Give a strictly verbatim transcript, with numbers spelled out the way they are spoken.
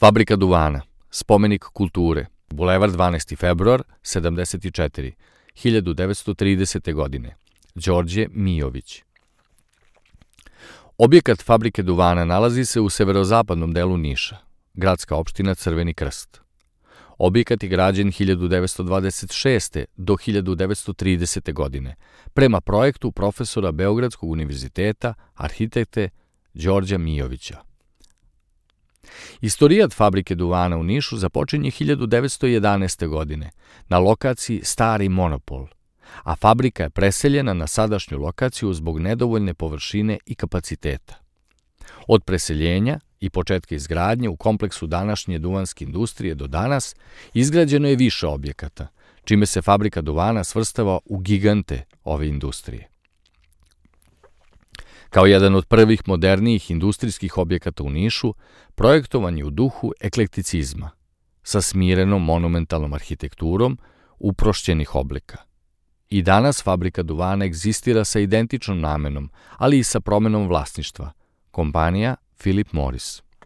Fabrika duvana, spomenik kulture, Bulevar dvanaesti februar, sedamdeset četiri, hiljadu devetsto tridesete. godine, Đorđe Mijović. Objekat Fabrike duvana nalazi se u severozapadnom delu Niša, gradska opština Crveni Krst. Objekat je građen hiljadu devetsto dvadeset šeste. do hiljadu devetsto tridesete. godine, prema projektu profesora Beogradskog univerziteta, arhitekte Đorđa Mijovića. Istorijat Fabrike duvana u Nišu započinje hiljadu devetsto jedanaeste. godine na lokaciji Stari Monopol, a fabrika je preseljena na sadašnju lokaciju zbog nedovoljne površine i kapaciteta. Od preseljenja i početka izgradnje u kompleksu današnje duvanske industrije do danas izgrađeno je više objekata, čime se Fabrika duvana svrstava u gigante ove industrije. Kao jedan od prvih modernijih industrijskih objekata u Nišu, projektovan je u duhu eklekticizma, sa smirenom monumentalnom arhitekturom uprošćenih oblika. I danas Fabrika duvana egzistira sa identičnom namenom, ali i sa promenom vlasništva, kompanija Philip Morris.